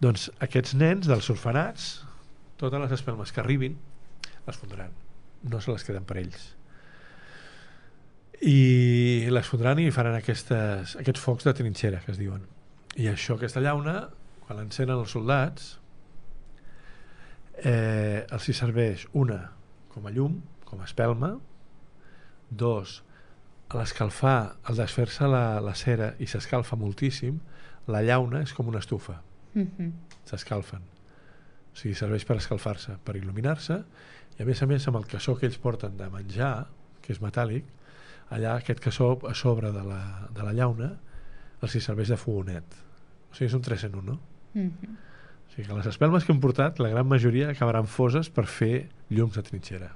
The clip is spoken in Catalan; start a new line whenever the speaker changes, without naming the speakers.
Doncs aquests nens dels orfenats, totes les espelmes que arribin les fondran, no se les queden per ells, i les fondran i faran aquests focs de trinxera que es diuen, i això, aquesta llauna, quan l'encenen els soldats, els hi serveix una com a llum, com a espelma, dos, a l'escalfar, al desfer-se la cera i s'escalfa moltíssim, la llauna és com una estufa, s'escalfen, o sigui, serveix per escalfar-se, per il·luminar-se, i a més amb el cassó que ells porten de menjar, que és metàl·lic, allà aquest cassó a sobre de la llauna els hi serveix de fogonet, o sigui, és un 3 en 1, no? O sigui que les espelmes que hem portat, la gran majoria acabaran foses per fer llums de trinxera.